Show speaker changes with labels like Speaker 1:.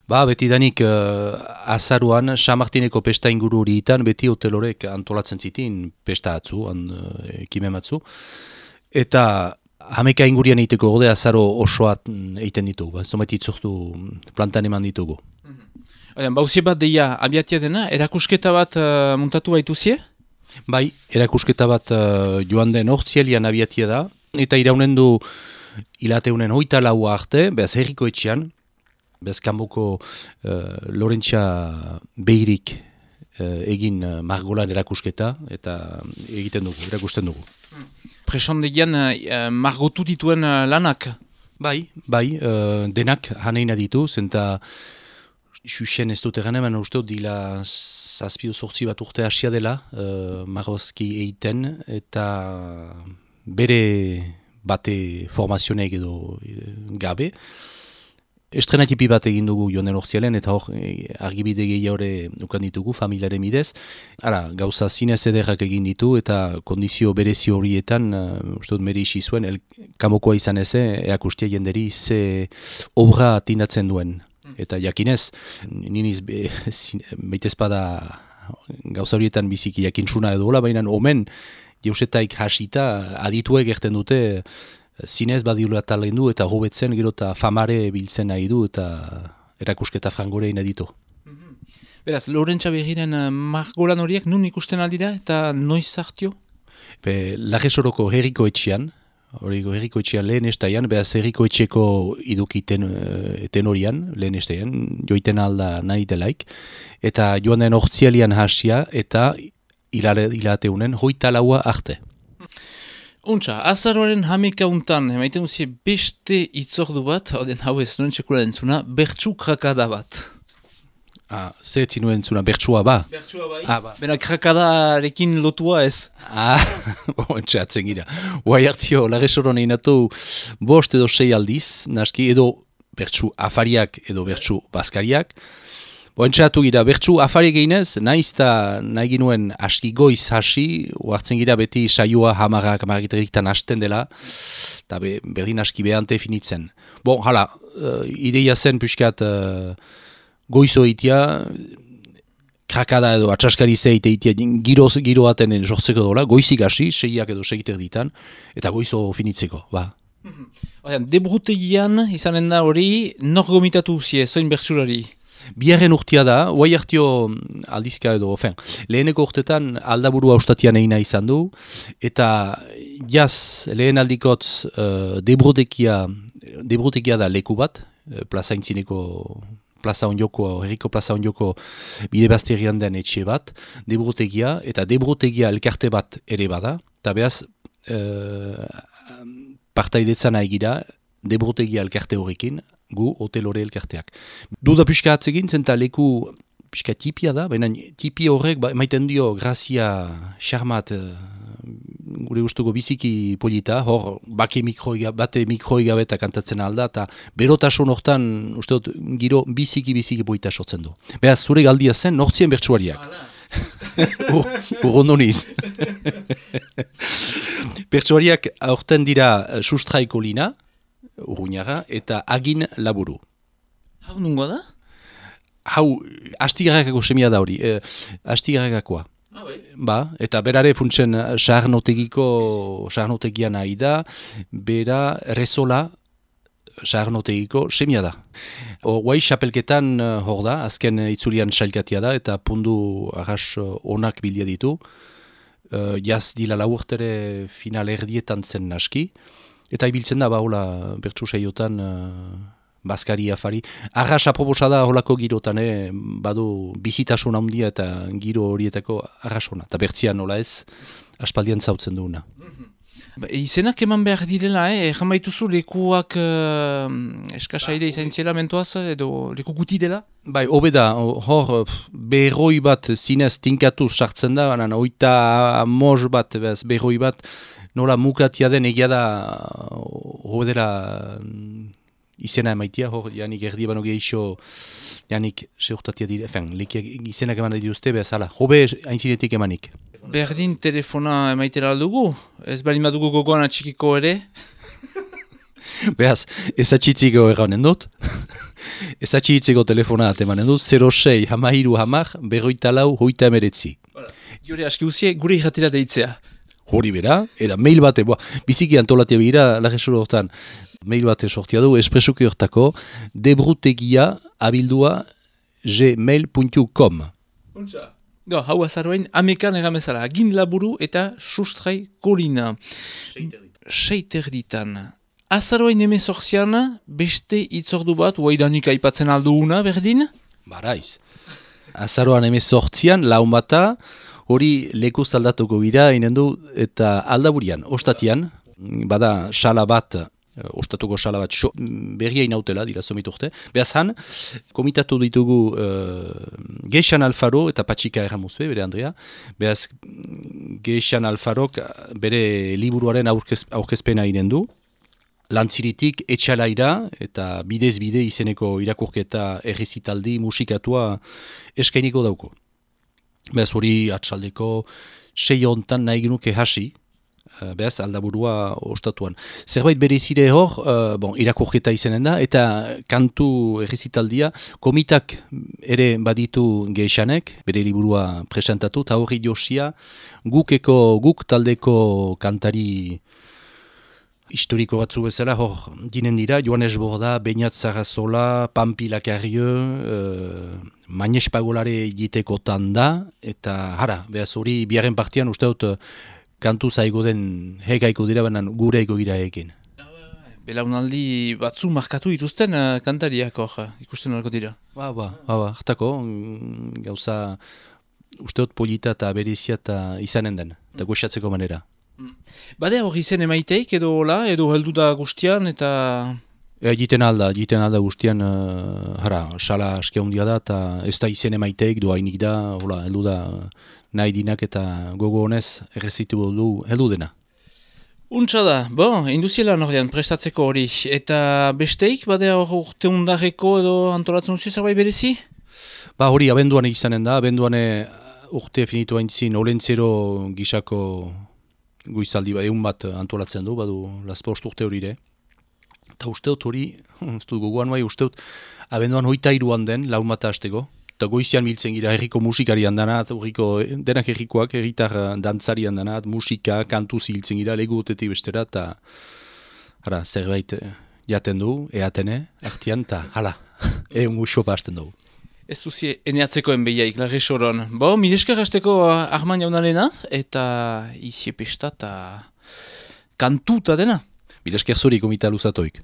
Speaker 1: Ba, beti danik azaruan, San Martineko pesta inguru horietan, beti hotel horrek antolatzen zitin pesta atzu, ekimen batzu. Eta hameka ingurian egiteko gode azaro osoat egiten ditugu. Ba, zomait itzortu plantan eman ditugu.
Speaker 2: Bauzie bat deia abiatia dena, erakusketa bat muntatu baituzie?
Speaker 1: Bai, erakusketa bat joan den hortzielian abiatia da. Eta iraunen du hilateunen 24 arte, behaz herriko etxean, behaz kanboko Lorentza Behirik egin margolan erakusketa, eta egiten dugu, erakusten dugu.
Speaker 2: Presondegian margotu dituen lanak?
Speaker 1: Bai, denak haneina ditu, zenta xuxen ez dut egan eman uste dila zazpio sortzi bat urte hasia dela margozki eiten, eta bere bate formazionek edo gabe. Estrenatipi bat egin dugu joan den hortzialen, eta hor argibide gehiago ukan ditugu, familiaren bidez. Ara, gauza zinez ederrak egin ditu, eta kondizio berezi horietan, uste dut mere isi zuen, kamokoa izan eze, eakustia jenderi ze obra atinatzen duen. Eta jakinez, niniz beitezpada gauza horietan biziki jakintzuna edo hola, baina omen, jeusetaik hasita, adituek erten dute, zinez badiula talendu eta hobetzen gero eta famare biltzen nahi du eta erakusketa frangorein ditu.
Speaker 2: Beraz, Lorentza Behiren margolan horiek nun ikusten aldira eta noiz zartio?
Speaker 1: Lagesoroko herriko etxean, herriko etxean lehen estaian, beraz herriko etxeko iduki tenorian, lehen estaian, joiten alda nahi delaik, eta joan den hortzialian hasia eta hilateunen 24 arte.
Speaker 2: Untxa, azaroaren hameka untan, emaiten duzie beste itzordu bat, hau ez nuen txekula entzuna, bertsu krakada bat.
Speaker 1: Zer etzinuen entzuna, bertsua ba?
Speaker 2: Bertsua bai. Ba. Bena krakadarekin lotua ez.
Speaker 1: Untxa, atzen gira. Huai hartio, lagesoron einatu 5 edo 6 aldiz, naski, edo bertsu afariak edo bertsu baskariak. Entxatu gira, bertsu afari gehinez, nahi ginuen aski goiz hasi, hartzen gira beti saioa hamaragiteriktan hasten dela, eta berdin aski behante finitzen. Hala, ideia zen pixkat goizo itia, krakada edo atxaskari zeite itia giroaten sortzeko dola, goizik hasi, 6ak edo 6 ditan, eta goizo finitzeko, ba.
Speaker 2: Debrutegian izanen da hori, nor gomitatu zie, zoin bertsurari?
Speaker 1: Biarren urtia da, huai hartio aldizka edo, leheneko urtetan aldaburu haustatian egina izan du, eta jaz lehen aldikotz debrutegia da leku bat, plaza intzineko, herriko plaza onjoko bide bazterian den etxe bat, debrutegia, eta debrutegia elkarte bat ere bada, eta behaz partaidetzan egira debrutegia elkarte horrekin, gu hotel hori elkarteak. Duda pixka atzegin, zenta leku pixka tipia da, baina tipi horrek maiten dio grazia xarmat gure gustuko biziki polita, hor bate mikroi gabe eta kantatzen alda, eta berotasun hortan usteot giro biziki polita sortzen du. Beraz, zure galdia zen, nortzien bertsuariak. Urrondoniz. Bertsuariak aurten dira Sustraiko Lina, Urruñaga, eta Agin Laburu.
Speaker 2: Hau nungoa da?
Speaker 1: Hau, Astigarragako semia da hori, Astigarragakoa. Ba, eta berare funtzen saarnotegian nahi da, bera Rezola saarnotegiko semia da. Guai xapelketan hor da, azken itzulian sailkatia da, eta pundu arras onak bildia ditu. Jaz dila laurtere final erdietan zen naski. Eta ibiltzen da, hola, bertsu saiotan, baskari afari. Arras aproposa da holako girotan, badu bizitasun handia eta giro horietako arrasona. Eta bertzian nola ez, aspaldian zautzen duguna.
Speaker 2: Izenak eman behar direla, egan baituzu lekuak eskasaide izan zela mentoaz, edo leku guti dela?
Speaker 1: Bai, hobe da, hor berroi bat zinez tinkatuz sartzen da, baina oita mos bat, berroi bat, nola mukatia den egia da hodera izena emaitia, hor janik erdi bano gehixo janik seurtatia dire, izenak eman da dituzte, behazala, hobe haintzinetik emanik.
Speaker 2: Berdin telefona emaitera aldugu? Ez bali madugu gogoan atxikiko ere?
Speaker 1: Behaz, ezatxitziko erranen dut, ezatxitziko telefona atemanen dut, 06 hamairu hamar, berroita lau, hoita emeretzi.
Speaker 2: Jure aski uzie, gure irratira deitzea.
Speaker 1: Hori bera, eta mail bate, biziki antolatia begira, lagesuro hortan, mail bate sortia du, espresuki hortako, debrutegia abildua gmail.com.
Speaker 2: Hau azaroen, amekan egamezala, agin laburu eta sustrai kolina. Seiterditan. Azaroen emezortzian, beste itzordu bat, uaidanik aipatzen alduuna, berdin?
Speaker 1: Baraiz. Azaroan emezortzian, laun bata, hori lekuz aldatuko gira, inen du, eta aldaburian, ostatian, bada sala bat, ostatuko sala bat, berria inautela, dira somiturte. Beaz han, komitatu ditugu Geixan Alfaro eta Patxika erramuzue, bere Andrea. Beaz, Geixan Alfarok bere liburuaren aurkezpena inen du. Lantziritik etxalaira eta bidez bide izeneko irakurketa errezitaldi musikatua eskainiko dauko. Beaz hori atxaldeko 6 hontan nahi genuke hasi, behaz aldaburua ostatuan. Zerbait berezire hor, irakurketa izanen da, eta kantu errezitaldia komitak ere baditu Geixanek, bere liburua presentatu, eta horri josia guk taldeko kantari historiko batzu bezala, hor, ginen dira, Joanes Borda, Beñat Zarazola, Pampi Lakarrio, Mañez Pagolare jitekotan da, eta hara, behaz hori biaren partian uste dut kantu zaigo den hegaiko dira, banan gure ego gira egin.
Speaker 2: Belaunaldi batzu markatu dituzten kantariak hor, ikusten horreko dira.
Speaker 1: Hartako, gauza uste dut polita eta berezia eta izanen den, eta goxatzeko manera.
Speaker 2: Bade hori zen emaiteik edo hola, edo heldu da guztian eta...
Speaker 1: Jiten alda guztian, sala askia hundia da, eta ez da izen emaiteik, doa hainik da, hola, heldu da nahi dinak eta gogo honez errezitu du heldu dena.
Speaker 2: Untsa da, induziela nordean prestatzeko hori, eta besteik, bade hor urte undarreko edo antolatzen duzu zerbait berezi?
Speaker 1: Hori abenduan izanen da, abenduan urte finitu haintzin olentzero gisako goizaldi egun bat antolatzen du, badu laspost urte hori ere. Eta usteot hori, gogoan bai, usteot abenduan 23an den, laun bat hasteko. Eta goizian biltzen gira herriko musikarian danat, denak herrikoak, herritar dantzarian danat, musika, kantu ziltzen gira, leguotetik bestera, eta zerbait jaten du, eatene, artian, eta hala, egun guxopa hasten dugu.
Speaker 2: Ez duzie eneatzeko enbeiaik, larri soron. Mideskar hasteko Arman jaunarena, eta iziepesta eta kantuta dena.
Speaker 1: Mideskar zuri komita luzatoik.